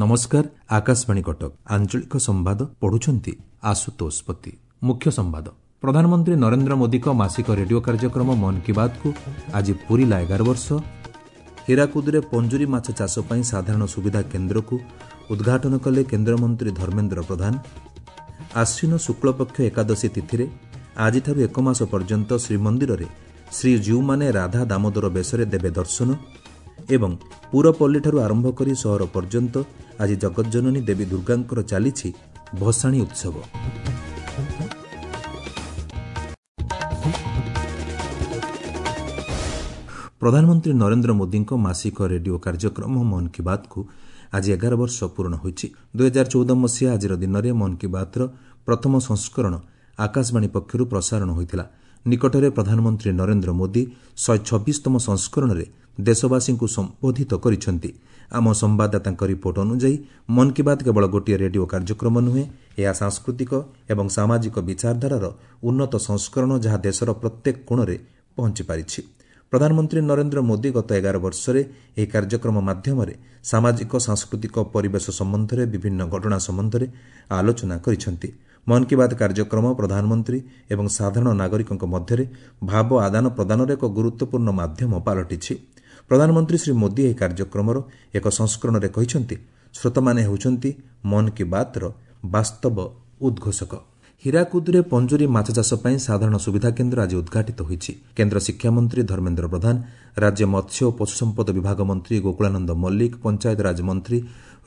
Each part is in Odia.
ନମସ୍କାର, ଆକାଶବାଣୀ କଟକ, ଆଞ୍ଚଳିକ ସମ୍ବାଦ ପଢୁଛନ୍ତି ଆଶୁତୋଷ ପତି। ମୁଖ୍ୟ ସମ୍ବାଦ। ପ୍ରଧାନମନ୍ତ୍ରୀ ନରେନ୍ଦ୍ର ମୋଦିଙ୍କ ମାସିକ ରେଡିଓ କାର୍ଯ୍ୟକ୍ରମ ମନ୍ କି ବାତ୍କୁ ଆଜି ପୂରିଲା 11 ବର୍ଷ। ହୀରାକୁଦରେ ପଞ୍ଜୁରୀ ମାଛ ଚାଷ ପାଇଁ ସାଧାରଣ ସୁବିଧା କେନ୍ଦ୍ରକୁ ଉଦ୍ଘାଟନ କଲେ କେନ୍ଦ୍ରମନ୍ତ୍ରୀ ଧର୍ମେନ୍ଦ୍ର ପ୍ରଧାନ। ଆଶ୍ୱିନ ଶୁକ୍ଳପକ୍ଷ ଏକାଦଶୀ ତିଥିରେ ଆଜିଠାରୁ ଏକ ମାସ ପର୍ଯ୍ୟନ୍ତ ଶ୍ରୀମନ୍ଦିରରେ ଶ୍ରୀଜୀଉମାନେ ରାଧା ଦାମୋଦର ବେଶରେ ଦେବେ ଦର୍ଶନ। ଏବଂ ପୁରପଲ୍ଲୀଠାରୁ ଆରମ୍ଭ କରି ସହର ପର୍ଯ୍ୟନ୍ତ ଆଜି ଜଗଜ୍ଜନନୀ ଦେବୀ ଦୁର୍ଗାଙ୍କର ଚାଲିଛି ଭସାଣୀ ଉତ୍ସବ। ପ୍ରଧାନମନ୍ତ୍ରୀ ନରେନ୍ଦ୍ର ମୋଦିଙ୍କ ମାସିକ ରେଡିଓ କାର୍ଯ୍ୟକ୍ରମ ମନ୍ କି ବାତ୍କୁ ଆଜି 11 ବର୍ଷ ପୂରଣ ହୋଇଛି। 2014 ମସିହା ଆଜିର ଦିନରେ ମନ୍ କି ବାତ୍ର ପ୍ରଥମ ସଂସ୍କରଣ ଆକାଶବାଣୀ ପକ୍ଷରୁ ପ୍ରସାରଣ ହୋଇଥିଲା। ନିକଟରେ ପ୍ରଧାନମନ୍ତ୍ରୀ ନରେନ୍ଦ୍ର ମୋଦି 126ତମ ସଂସ୍କରଣରେ ଦେଶବାସୀଙ୍କୁ ସମ୍ବୋଧିତ କରିଛନ୍ତି। ଆମ ସମ୍ବାଦଦାତାଙ୍କ ରିପୋର୍ଟ ଅନୁଯାୟୀ ମନ୍ କି ବାତ୍ କେବଳ ଗୋଟିଏ ରେଡିଓ କାର୍ଯ୍ୟକ୍ରମ ନୁହେଁ, ଏହା ସାଂସ୍କୃତିକ ଏବଂ ସାମାଜିକ ବିଚାରଧାରାର ଉନ୍ନତ ସଂସ୍କରଣ, ଯାହା ଦେଶର ପ୍ରତ୍ୟେକ କୋଣରେ ପହଞ୍ଚିପାରିଛି। ପ୍ରଧାନମନ୍ତ୍ରୀ ନରେନ୍ଦ୍ର ମୋଦି ଗତ 11 ବର୍ଷରେ ଏହି କାର୍ଯ୍ୟକ୍ରମ ମାଧ୍ୟମରେ ସାମାଜିକ, ସାଂସ୍କୃତିକ, ପରିବେଶ ସମ୍ବନ୍ଧରେ ବିଭିନ୍ନ ଘଟଣା ସମ୍ବନ୍ଧରେ ଆଲୋଚନା କରିଛନ୍ତି। ମନ୍ କି ବାତ୍ କାର୍ଯ୍ୟକ୍ରମ ପ୍ରଧାନମନ୍ତ୍ରୀ ଏବଂ ସାଧାରଣ ନାଗରିକଙ୍କ ମଧ୍ୟରେ ଭାବ ଆଦାନ ପ୍ରଦାନର ଏକ ଗୁରୁତ୍ୱପୂର୍ଣ୍ଣ ମାଧ୍ୟମ ପାଲଟିଛି। ପ୍ରଧାନମନ୍ତ୍ରୀ ଶ୍ରୀ ମୋଦି ଏହି କାର୍ଯ୍ୟକ୍ରମର ଏକ ସଂସ୍କରଣରେ କହିଛନ୍ତି, ଶ୍ରୋତାମାନେ ହେଉଛନ୍ତି ମନ୍ କି ବାତ୍ର ବାସ୍ତବ ଉଦ୍ଘୋଷକ। ହୀରାକୁଦରେ ପଞ୍ଜୁରୀ ମାଛ ଚାଷ ପାଇଁ ସାଧାରଣ ସୁବିଧା କେନ୍ଦ୍ର ଆଜି ଉଦ୍ଘାଟିତ ହୋଇଛି। କେନ୍ଦ୍ର ଶିକ୍ଷାମନ୍ତ୍ରୀ ଧର୍ମେନ୍ଦ୍ର ପ୍ରଧାନ, ରାଜ୍ୟ ମତ୍ସ୍ୟ ଓ ପଶୁସମ୍ପଦ ବିଭାଗ ମନ୍ତ୍ରୀ ଗୋକୁଳାନନ୍ଦ ମଲ୍ଲିକ, ପଞ୍ଚାୟତରାଜ ମନ୍ତ୍ରୀ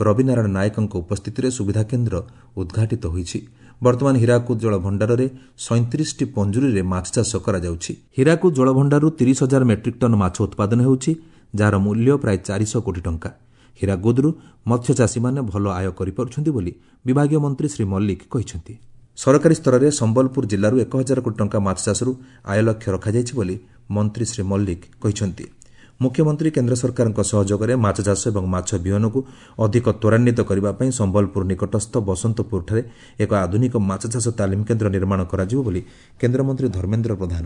ରବିନାରାୟଣ ନାୟକଙ୍କ ଉପସ୍ଥିତିରେ ସୁବିଧା କେନ୍ଦ୍ର ଉଦ୍ଘାଟିତ ହୋଇଛି। ବର୍ତ୍ତମାନ ହୀରାକୁଦ ଜଳଭଣ୍ଡାରରେ 37ଟି ପଞ୍ଜୁରୀରେ ମାଛ ଚାଷ କରାଯାଉଛି। ହୀରାକୁଦ ଜଳଭଣ୍ଡାରରୁ 30 ହଜାର ମେଟ୍ରିକ୍ ଟନ୍ ମାଛ ଉତ୍ପାଦନ ହେଉଛି, ଯାହାର ମୂଲ୍ୟ ପ୍ରାୟ 400 କୋଟି ଟଙ୍କା। ହୀରାକୁଦରୁ ମତ୍ସ୍ୟଚାଷୀମାନେ ଭଲ ଆୟ କରିପାରୁଛନ୍ତି ବୋଲି ବିଭାଗୀୟ ମନ୍ତ୍ରୀ ଶ୍ରୀ ମଲ୍ଲିକ କହିଛନ୍ତି। ସରକାରୀ ସ୍ତରରେ ସମ୍ବଲପୁର ଜିଲ୍ଲାରୁ 1000 କୋଟି ଟଙ୍କା ମାଛ ଚାଷରୁ ଆୟ ଲକ୍ଷ୍ୟ ରଖାଯାଇଛି ବୋଲି ମନ୍ତ୍ରୀ ଶ୍ରୀ ମଲ୍ଲିକ କହିଛନ୍ତି। ମୁଖ୍ୟମନ୍ତ୍ରୀ କେନ୍ଦ୍ର ସରକାରଙ୍କ ସହଯୋଗରେ ମାଛ ଚାଷ ଏବଂ ମାଛ ବିହନକୁ ଅଧିକ ତ୍ୱରାନ୍ୱିତ କରିବା ପାଇଁ ସମ୍ବଲପୁର ନିକଟସ୍ଥ ବସନ୍ତପୁରଠାରେ ଏକ ଆଧୁନିକ ମାଛ ଚାଷ ତାଲିମ କେନ୍ଦ୍ର ନିର୍ମାଣ କରାଯିବ ବୋଲି କେନ୍ଦ୍ରମନ୍ତ୍ରୀ ଧର୍ମେନ୍ଦ୍ର ପ୍ରଧାନ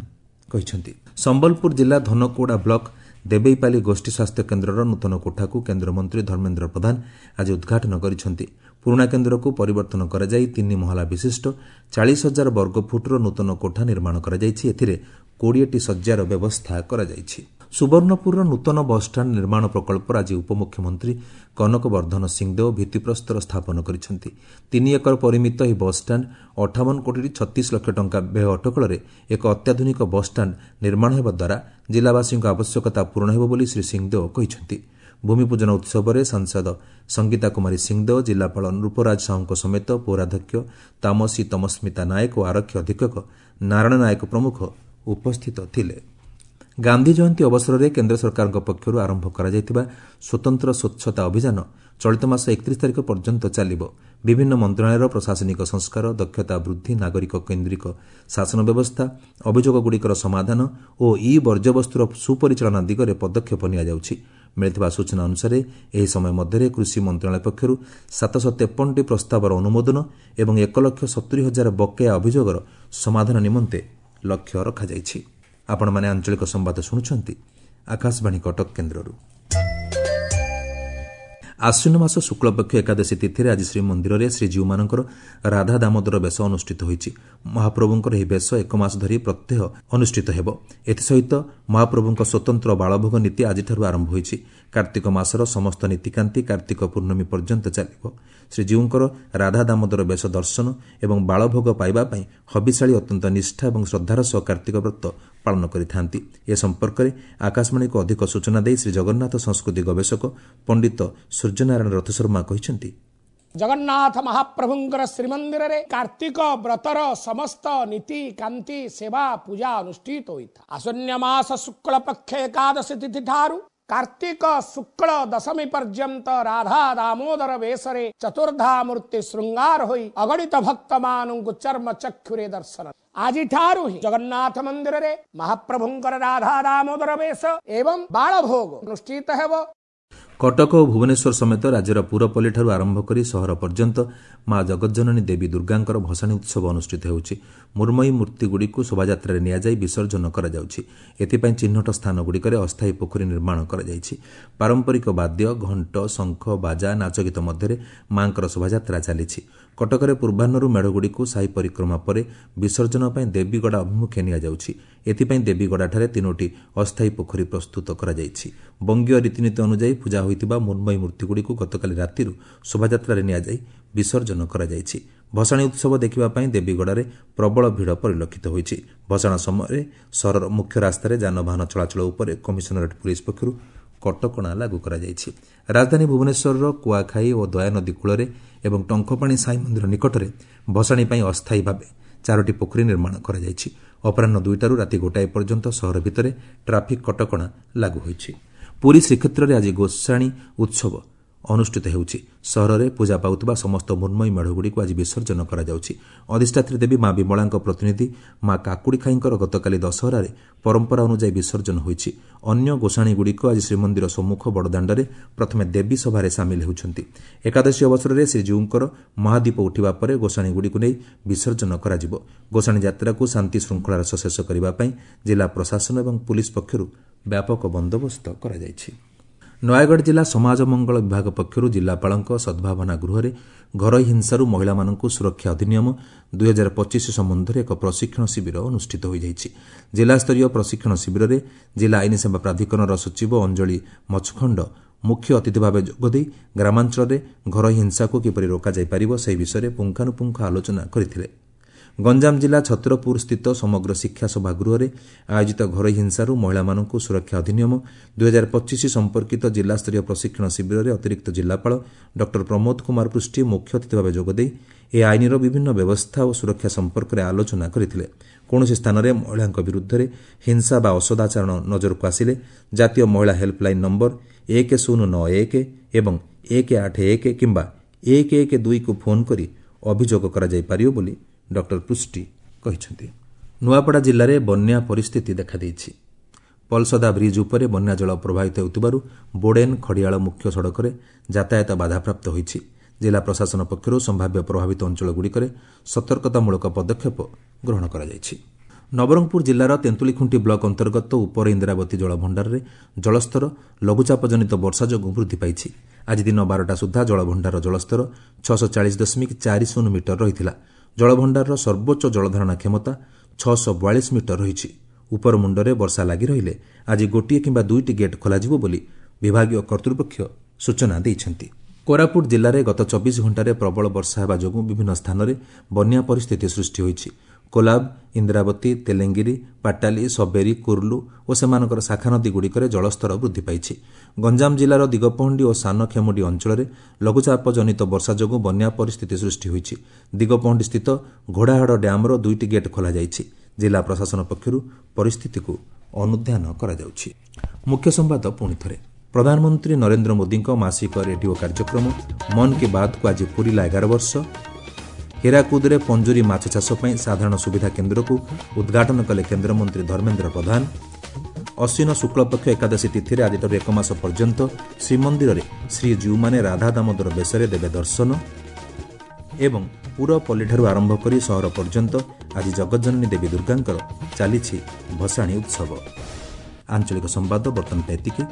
କହିଛନ୍ତି। ସମ୍ବଲପୁର ଜିଲ୍ଲା ଧନକୋଡ଼ା ବ୍ଲକ ଦେବେଇପାଲି ଗୋଷ୍ଠୀ ସ୍ୱାସ୍ଥ୍ୟ କେନ୍ଦ୍ରର ନୂତନ କୋଠାକୁ କେନ୍ଦ୍ରମନ୍ତ୍ରୀ ଧର୍ମେନ୍ଦ୍ର ପ୍ରଧାନ ଆଜି ଉଦ୍ଘାଟନ କରିଛନ୍ତି। ପୁରୁଣା କେନ୍ଦ୍ରକୁ ପରିବର୍ତ୍ତନ କରାଯାଇ 3 ମହଲା ବିଶିଷ୍ଟ 40 ହଜାର ବର୍ଗଫୁଟର ନୂତନ କୋଠା ନିର୍ମାଣ କରାଯାଇଛି। ଏଥିରେ 20ଟି ଶଯ୍ୟାର ବ୍ୟବସ୍ଥା କରାଯାଇଛି। ସୁବର୍ଣ୍ଣପୁରର ନୂତନ ବସ୍ଷ୍ଟାଣ୍ଡ ନିର୍ମାଣ ପ୍ରକଳ୍ପର ଆଜି ଉପମୁଖ୍ୟମନ୍ତ୍ରୀ କନକ ବର୍ଦ୍ଧନ ସିଂଦେଓ ଭିତ୍ତିପ୍ରସ୍ତର ସ୍ଥାପନ କରିଛନ୍ତି। 3 ଏକର ପରିମିତ ଏହି ବସ୍ଷ୍ଟାଣ୍ଡ 58 କୋଟି 36 ଲକ୍ଷ ଟଙ୍କା ବ୍ୟୟ ଅଟକଳରେ ଏକ ଅତ୍ୟାଧୁନିକ ବସ୍ଷ୍ଟାଣ୍ଡ ନିର୍ମାଣ ହେବା ଦ୍ୱାରା ଜିଲ୍ଲାବାସୀଙ୍କ ଆବଶ୍ୟକତା ପୂରଣ ହେବ ବୋଲି ଶ୍ରୀ ସିଂଦେଓ କହିଛନ୍ତି। ଭୂମିପୂଜନ ଉତ୍ସବରେ ସାଂସଦ ସଙ୍ଗୀତା କୁମାରୀ ସିଂଦେଓ, ଜିଲ୍ଲାପାଳ ନୃପରାଜ ସାହୁଙ୍କ ସମେତ ପୌରାଧ୍ୟକ୍ଷ ତାମସୀ ତମସ୍ମିତା ନାୟକ ଓ ଆରକ୍ଷୀ ଅଧୀକ୍ଷକ ନାରାୟଣ ନାୟକ ପ୍ରମୁଖ ଉପସ୍ଥିତ ଥିଲେ। ଗାନ୍ଧୀ ଜୟନ୍ତୀ ଅବସରରେ କେନ୍ଦ୍ର ସରକାରଙ୍କ ପକ୍ଷରୁ ଆରମ୍ଭ କରାଯାଇଥିବା ସ୍ୱତନ୍ତ୍ର ସ୍ୱଚ୍ଛତା ଅଭିଯାନ ଚଳିତ ମାସ 31 ତାରିଖ ପର୍ଯ୍ୟନ୍ତ ଚାଲିବ। ବିଭିନ୍ନ ମନ୍ତ୍ରଣାଳୟର ପ୍ରଶାସନିକ ସଂସ୍କାର, ଦକ୍ଷତା ବୃଦ୍ଧି, ନାଗରିକ କେନ୍ଦ୍ରିକ ଶାସନ ବ୍ୟବସ୍ଥା, ଅଭିଯୋଗଗୁଡ଼ିକର ସମାଧାନ ଓ ଇ ବର୍ଜ୍ୟବସ୍ତୁର ସୁପରିଚାଳନା ଦିଗରେ ପଦକ୍ଷେପ ନିଆଯାଉଛି। ମିଳିଥିବା ସୂଚନା ଅନୁସାରେ ଏହି ସମୟ ମଧ୍ୟରେ କୃଷି ମନ୍ତ୍ରଣାଳୟ ପକ୍ଷରୁ 753ଟି ପ୍ରସ୍ତାବର ଅନୁମୋଦନ ଏବଂ 1,70,000 ବକେୟା ଅଭିଯୋଗର ସମାଧାନ ନିମନ୍ତେ ଲକ୍ଷ୍ୟ ରଖାଯାଇଛି। ଆପଣମାନେ ଆଞ୍ଚଳିକ ସମ୍ବାଦ ଶୁଣୁଛନ୍ତି ଆକାଶବାଣୀ କଟକ କେନ୍ଦ୍ରରୁ। ଆଶ୍ୱିନ ମାସ ଶୁକ୍ଳପକ୍ଷ ଏକାଦଶୀ ତିଥିରେ ଆଜି ଶ୍ରୀମନ୍ଦିରରେ ଶ୍ରୀଜୀଉମାନଙ୍କର ରାଧା ଦାମୋଦର ବେଶ ଅନୁଷ୍ଠିତ ହୋଇଛି। ମହାପ୍ରଭୁଙ୍କର ଏହି ବେଶ ଏକ ମାସ ଧରି ପ୍ରତ୍ୟହ ଅନୁଷ୍ଠିତ ହେବ। ଏଥିସହିତ ମହାପ୍ରଭୁଙ୍କ ସ୍ୱତନ୍ତ୍ର ବାଳଭୋଗ ନୀତି ଆଜିଠାରୁ ଆରମ୍ଭ ହୋଇଛି। କାର୍ତ୍ତିକ ମାସର ସମସ୍ତ ନୀତିକାନ୍ତି କାର୍ତ୍ତିକ ପୂର୍ଣ୍ଣମୀ ପର୍ଯ୍ୟନ୍ତ ଚାଲିବ। ଶ୍ରୀଜୀଉଙ୍କର ରାଧା ଦାମୋଦର ବେଶ ଦର୍ଶନ ଏବଂ ବାଳଭୋଗ ପାଇବା ପାଇଁ ହବିଷାଳୀ ଅତ୍ୟନ୍ତ ନିଷ୍ଠା ଏବଂ ଶ୍ରଦ୍ଧାର ସହ କାର୍ତ୍ତିକ ବ୍ରତ ପାଳନ କରିଥାନ୍ତି। ଏ ସମ୍ପର୍କରେ ଆକାଶବାଣୀକୁ ଅଧିକ ସୂଚନା ଦେଇ ଶ୍ରୀ ଜଗନ୍ନାଥ ସଂସ୍କୃତି ଗବେଷକ ପଣ୍ଡିତ ସୂର୍ଯ୍ୟନାରାୟଣ ରଥଶର୍ମା କହିଛନ୍ତି, ଜଗନ୍ନାଥ ମହାପ୍ରଭୁଙ୍କର ଶ୍ରୀମନ୍ଦିରରେ କାର୍ତ୍ତିକ ବ୍ରତର ସମସ୍ତ ନୀତି କାନ୍ତି ସେବା ପୂଜା ଅନୁଷ୍ଠିତ ହୋଇଥାଏ। ଆଶ୍ୱିନ ମାସ ଶୁକ୍ଳ ପକ୍ଷ ଏକାଦଶୀ ତିଥି ଠାରୁ କାର୍ତ୍ତିକ ଶୁକ୍ଳ ଦଶମୀ ପର୍ଯ୍ୟନ୍ତ ରାଧା ଦାମୋଦର ବେଶରେ ଚତୁର୍ଦ୍ଧା ମୂର୍ତ୍ତି ଶୃଙ୍ଗାର ହୋଇ ଅଗଣିତ ଭକ୍ତମାନଙ୍କୁ ଚର୍ମ ଚକ୍ଷୁରେ ଦର୍ଶନ। ଆଜିଠାରୁ ହିଁ ଜଗନ୍ନାଥ ମନ୍ଦିରରେ ମହାପ୍ରଭୁଙ୍କର ରାଧା ଦାମୋଦର ବେଶ ଏବଂ ବାଳଭୋଗ ଅନୁଷ୍ଠିତ ହେବ। କଟକ ଓ ଭୁବନେଶ୍ୱର ସମେତ ରାଜ୍ୟର ପୁରପଲ୍ଲୀଠାରୁ ଆରମ୍ଭ କରି ସହର ପର୍ଯ୍ୟନ୍ତ ମା ଜଗଜ୍ଜନନୀ ଦେବୀ ଦୁର୍ଗାଙ୍କର ଭସାଣୀ ଉତ୍ସବ ଅନୁଷ୍ଠିତ ହେଉଛି। ମୃଣ୍ମୟୀ ମୂର୍ତ୍ତିଗୁଡ଼ିକୁ ଶୋଭାଯାତ୍ରାରେ ନିଆଯାଇ ବିସର୍ଜନ କରାଯାଉଛି। ଏଥିପାଇଁ ଚିହ୍ନଟ ସ୍ଥାନଗୁଡ଼ିକରେ ଅସ୍ଥାୟୀ ପୋଖରୀ ନିର୍ମାଣ କରାଯାଇଛି। ପାରମ୍ପରିକ ବାଦ୍ୟ, ଘଣ୍ଟ, ଶଙ୍ଖ, ବାଜା, ନାଚଗୀତ ମଧ୍ୟରେ ମାଙ୍କର ଶୋଭାଯାତ୍ରା ଚାଲିଛି। କଟକରେ ପୂର୍ବାହ୍ନରୁ ମେଢ଼ଗୁଡ଼ିକୁ ସାହି ପରିକ୍ରମା ପରେ ବିସର୍ଜନ ପାଇଁ ଦେବୀଗଡ଼ା ଅଭିମୁଖେ ନିଆଯାଉଛି। ଏଥିପାଇଁ ଦେବୀଗଡ଼ାଠାରେ 3ଟି ଅସ୍ଥାୟୀ ପୋଖରୀ ପ୍ରସ୍ତୁତ କରାଯାଇଛି। ବଙ୍ଗୀୟ ରୀତିନୀତି ଅନୁଯାୟୀ ପୂଜା ହୋଇଥିବା ମୃଣ୍ମୟୀ ମୂର୍ତ୍ତିଗୁଡ଼ିକୁ ଗତକାଲି ରାତିରୁ ଶୋଭାଯାତ୍ରାରେ ନିଆଯାଇ ବିସର୍ଜନ କରାଯାଇଛି। ଭସାଣୀ ଉତ୍ସବ ଦେଖିବା ପାଇଁ ଦେବୀଗଡ଼ାରେ ପ୍ରବଳ ଭିଡ଼ ପରିଲକ୍ଷିତ ହୋଇଛି। ଭସାଣ ସମୟରେ ସହରର ମୁଖ୍ୟ ରାସ୍ତାରେ ଯାନବାହନ ଚଳାଚଳ ଉପରେ କମିଶନରେଟ୍ ପୁଲିସ୍ ପକ୍ଷରୁ କଟକଣା ଲାଗୁ କରାଯାଇଛି। ରାଜଧାନୀ ଭୁବନେଶ୍ୱରର କୁଆଖାଇ ଓ ଦୟାନଦୀ କୂଳରେ ଏବଂ ଟଙ୍କପାଣି ସାଇ ମନ୍ଦିର ନିକଟରେ ଭସାଣୀ ପାଇଁ ଅସ୍ଥାୟୀ ଭାବେ 4ଟି ପୋଖରୀ ନିର୍ମାଣ କରାଯାଇଛି। ଅପରାହ୍ନ 2ଟାରୁ ରାତି 1 ପର୍ଯ୍ୟନ୍ତ ସହର ଭିତରେ ଟ୍ରାଫିକ୍ କଟକଣା ଲାଗୁ ହୋଇଛି। ପୁରୀ ଶ୍ରୀକ୍ଷେତ୍ରରେ ଆଜି ଗୋସାଣୀ ଉତ୍ସବ ଅନୁଷ୍ଠିତ ହେଉଛି। ସହରରେ ପୂଜା ପାଉଥିବା ସମସ୍ତ ମୃଣ୍ମୟୀ ମେଢ଼ଗୁଡ଼ିକୁ ଆଜି ବିସର୍ଜନ କରାଯାଉଛି। ଅଧିଷ୍ଠାତ୍ରୀ ଦେବୀ ମା ବିମଳାଙ୍କ ପ୍ରତିନିଧି ମା କାକୁଡ଼ିଖାଇଙ୍କର ଗତକାଲି ଦଶହରାରେ ପରମ୍ପରା ଅନୁଯାୟୀ ବିସର୍ଜନ ହୋଇଛି। ଅନ୍ୟ ଗୋସାଣୀଗୁଡ଼ିକ ଆଜି ଶ୍ରୀମନ୍ଦିର ସମ୍ମୁଖ ବଡ଼ଦାଣ୍ଡରେ ପ୍ରଥମେ ଦେବୀ ସଭାରେ ସାମିଲ ହେଉଛନ୍ତି। ଏକାଦଶୀ ଅବସରରେ ଶ୍ରୀଜୀଉଙ୍କର ମହାଦୀପ ଉଠିବା ପରେ ଗୋସାଣୀଗୁଡ଼ିକୁ ନେଇ ବିସର୍ଜନ କରାଯିବ। ଗୋସାଣୀ ଯାତ୍ରାକୁ ଶାନ୍ତି ଶୃଙ୍ଖଳାର ସହ ଶେଷ କରିବା ପାଇଁ ଜିଲ୍ଲା ପ୍ରଶାସନ ଏବଂ ପୁଲିସ୍ ପକ୍ଷରୁ ବ୍ୟାପକ ବନ୍ଦୋବସ୍ତ କରାଯାଇଛି। ନୟାଗଡ଼ ଜିଲ୍ଲା ସମାଜ ମଙ୍ଗଳ ବିଭାଗ ପକ୍ଷରୁ ଜିଲ୍ଲାପାଳଙ୍କ ସଦ୍ଭାବନା ଗୃହରେ ଘରୋଇ ହିଂସାରୁ ମହିଳାମାନଙ୍କୁ ସୁରକ୍ଷା ଅଧିନିୟମ 2025 ସମ୍ବନ୍ଧରେ ଏକ ପ୍ରଶିକ୍ଷଣ ଶିବିର ଅନୁଷ୍ଠିତ ହୋଇଯାଇଛି। ଜିଲ୍ଲାସ୍ତରୀୟ ପ୍ରଶିକ୍ଷଣ ଶିବିରରେ ଜିଲ୍ଲା ଆଇନ ସେବା ପ୍ରାଧିକରଣର ସଚିବ ଅଞ୍ଜଳି ମଛଖଣ୍ଡ ମୁଖ୍ୟ ଅତିଥି ଭାବେ ଯୋଗଦେଇ ଗ୍ରାମାଞ୍ଚଳରେ ଘରୋଇ ହିଂସାକୁ କିପରି ରୋକାଯାଇପାରିବ ସେହି ବିଷୟରେ ପୁଙ୍ଖାନୁପୁଙ୍ଖ ଆଲୋଚନା କରିଥିଲେ। ଗଞ୍ଜାମ ଜିଲ୍ଲା ଛତ୍ରପୁର ସ୍ଥିତ ସମଗ୍ର ଶିକ୍ଷା ସଭା ଗୃହରେ ଆୟୋଜିତ ଘରୋଇ ହିଂସାରୁ ମହିଳାମାନଙ୍କୁ ସୁରକ୍ଷା ଅଧିନିୟମ 2025 ସମ୍ପର୍କିତ ଜିଲ୍ଲାସ୍ତରୀୟ ପ୍ରଶିକ୍ଷଣ ଶିବିରରେ ଅତିରିକ୍ତ ଜିଲ୍ଲାପାଳ ଡକ୍ଟର ପ୍ରମୋଦ କୁମାର ପୃଷ୍ଟି ମୁଖ୍ୟ ଅତିଥି ଭାବେ ଯୋଗଦେଇ ଏହି ଆଇନର ବିଭିନ୍ନ ବ୍ୟବସ୍ଥା ଓ ସୁରକ୍ଷା ସମ୍ପର୍କରେ ଆଲୋଚନା କରିଥିଲେ। କୌଣସି ସ୍ଥାନରେ ମହିଳାଙ୍କ ବିରୁଦ୍ଧରେ ହିଂସା ବା ଅସଦାଚରଣ ନଜରକୁ ଆସିଲେ ଜାତୀୟ ମହିଳା ହେଲ୍ପଲାଇନ୍ ନମ୍ବର 1091 ଏବଂ 181 କିମ୍ବା 112କୁ ଫୋନ୍ କରି ଅଭିଯୋଗ କରାଯାଇପାରିବ ବୋଲି ଡକ୍ଟର ପୃଷ୍ଟି କହିଛନ୍ତି। ନୂଆପଡ଼ା ଜିଲ୍ଲାରେ ବନ୍ୟା ପରିସ୍ଥିତି ଦେଖାଦେଇଛି। ପଲସଦା ବ୍ରିଜ୍ ଉପରେ ବନ୍ୟାଜଳ ପ୍ରବାହିତ ହେଉଥିବାରୁ ବୋଡେନ୍ ଖଡ଼ିଆଳ ମୁଖ୍ୟ ସଡ଼କରେ ଯାତାୟାତ ବାଧାପ୍ରାପ୍ତ ହୋଇଛି। ଜିଲ୍ଲା ପ୍ରଶାସନ ପକ୍ଷରୁ ସମ୍ଭାବ୍ୟ ପ୍ରଭାବିତ ଅଞ୍ଚଳଗୁଡ଼ିକରେ ସତର୍କତାମୂଳକ ପଦକ୍ଷେପ ଗ୍ରହଣ କରାଯାଇଛି। ନବରଙ୍ଗପୁର ଜିଲ୍ଲାର ତେନ୍ତୁଳିଖୁଣ୍ଟି ବ୍ଲକ ଅନ୍ତର୍ଗତ ଉପର ଇନ୍ଦ୍ରାବତୀ ଜଳଭଣ୍ଡାରରେ ଜଳସ୍ତର ଲଘୁଚାପଜନିତ ବର୍ଷା ଯୋଗୁଁ ବୃଦ୍ଧି ପାଇଛି। ଆଜି ଦିନ 12ଟା ସୁଦ୍ଧା ଜଳଭଣ୍ଡାରର ଜଳସ୍ତର 640.40 ମିଟର ରହିଥିଲା। ଜଳଭଣ୍ଡାରର ସର୍ବୋଚ୍ଚ ଜଳଧାରଣା କ୍ଷମତା 642 ମିଟର ରହିଛି। ଉପରମୁଣ୍ଡରେ ବର୍ଷା ଲାଗି ରହିଲେ ଆଜି 1 କିମ୍ବା 2ଟି ଗେଟ୍ ଖୋଲାଯିବ ବୋଲି ବିଭାଗୀୟ କର୍ତ୍ତୃପକ୍ଷ ସୂଚନା ଦେଇଛନ୍ତି। କୋରାପୁଟ ଜିଲ୍ଲାରେ ଗତ 24 ଘଣ୍ଟାରେ ପ୍ରବଳ ବର୍ଷା ହେବା ଯୋଗୁଁ ବିଭିନ୍ନ ସ୍ଥାନରେ ବନ୍ୟା ପରିସ୍ଥିତି ସୃଷ୍ଟି ହୋଇଛି। କୋଲାବ, ଇନ୍ଦ୍ରାବତୀ, ତେଲେଙ୍ଗିରି, ପାଟାଲି, ସବେରୀ, କୁର୍ଲୁ ଓ ସେମାନଙ୍କର ଶାଖାନଦୀଗୁଡ଼ିକରେ ଜଳସ୍ତର ବୃଦ୍ଧି ପାଇଛି। ଗଞ୍ଜାମ ଜିଲ୍ଲାର ଦିଗପହଣ୍ଡି ଓ ସାନଖେମୁଣ୍ଡି ଅଞ୍ଚଳରେ ଲଘୁଚାପଜନିତ ବର୍ଷା ଯୋଗୁଁ ବନ୍ୟା ପରିସ୍ଥିତି ସୃଷ୍ଟି ହୋଇଛି। ଦିଗପହଣ୍ଡିସ୍ଥିତ ଘୋଡ଼ାହାଡ଼ ଡ୍ୟାମ୍ର 2ଟି ଗେଟ୍ ଖୋଲାଯାଇଛି। ଜିଲ୍ଲା ପ୍ରଶାସନ ପକ୍ଷରୁ ପରିସ୍ଥିତିକୁ ଅନୁଧ୍ୟାନ କରାଯାଉଛି। ମୁଖ୍ୟ ସମ୍ବାଦ ପୁଣି ଥରେ। ପ୍ରଧାନମନ୍ତ୍ରୀ ନରେନ୍ଦ୍ର ମୋଦିଙ୍କ ମାସିକ ରେଡିଓ କାର୍ଯ୍ୟକ୍ରମ ମନ୍ କି ବାତ୍କୁ ଆଜି ପୂରିଲା 11 ବର୍ଷ। ହୀରାକୁଦରେ ପଞ୍ଜୁରୀ ମାଛ ଚାଷ ପାଇଁ ସାଧାରଣ ସୁବିଧା କେନ୍ଦ୍ରକୁ ଉଦ୍ଘାଟନ କଲେ କେନ୍ଦ୍ରମନ୍ତ୍ରୀ ଧର୍ମେନ୍ଦ୍ର ପ୍ରଧାନ। ଅଶ୍ୱିନ ଶୁକ୍ଳପକ୍ଷ ଏକାଦଶୀ ତିଥିରେ ଆଜିଠାରୁ 1 ମାସ ପର୍ଯ୍ୟନ୍ତ ଶ୍ରୀମନ୍ଦିରରେ ଶ୍ରୀଜୀଉମାନେ ରାଧା ଦାମୋଦର ବେଶରେ ଦେବେ ଦର୍ଶନ। ଏବଂ ପୁରପଲ୍ଲୀଠାରୁ ଆରମ୍ଭ କରି ସହର ପର୍ଯ୍ୟନ୍ତ ଆଜି ଜଗଜ୍ଜନନୀ ଦେବୀ ଦୁର୍ଗାଙ୍କର ଚାଲିଛି ଭସାଣୀ ଉତ୍ସବ। ଆଞ୍ଚଳିକ ସମ୍ବାଦ ବର୍ତ୍ତମାନ ପାଇଁ ଏତିକି।